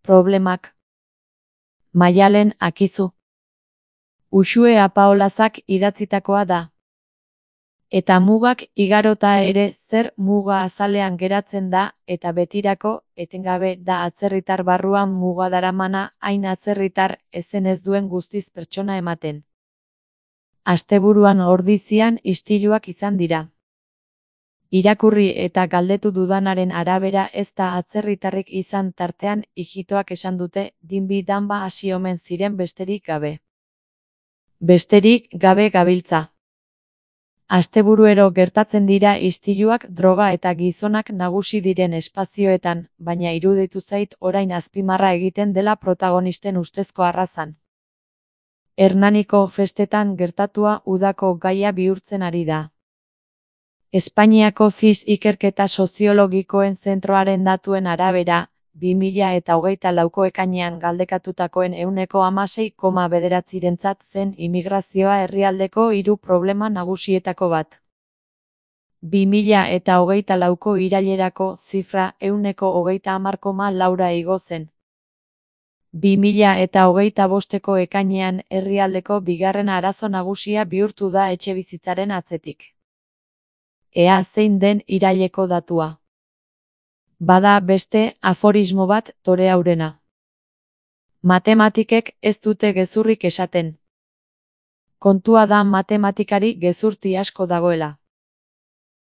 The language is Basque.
Problemak. Maialen Akizu. Uxue Apaolazak idatzitakoa da. Eta mugak igarota ere zer muga azalean geratzen da eta betirako etengabe da atzerritar barruan muga daramana hain atzerritar ezen ez duen guztiz pertsona ematen. Asteburuan ordizian istiluak izan dira. Irakurri eta galdetu dudanaren arabera ez da atzerritarrik izan tartean ijitoak esan dute dinbi danba hasi omen ziren besterik gabe. Besterik gabe gabiltza. Asteburuero gertatzen dira istiluak droga eta gizonak nagusi diren espazioetan, baina iruditu zait orain azpimarra egiten dela protagonisten ustezko arrazan. Hernaniko festetan gertatua udako gaia bihurtzen ari da. Espainiako FIS ikerketa soziologikoen zentroaren datuen arabera, 2024ko ekainean galdekatutakoen 16,9%rentzat zen immigrazioa herrialdeko 3 problema nagusietako bat. 2024ko irailerako zifra 30,4,4 igo zen. 2025ko ekainean herrialdeko bigarren arazo nagusia bihurtu da etxebizitzaren atzetik. Ea zein den iraileko datua. Bada beste aforismo bat toreaurena. Matematikek ez dute gezurrik esaten. Kontua da matematikari gezurti asko dagoela.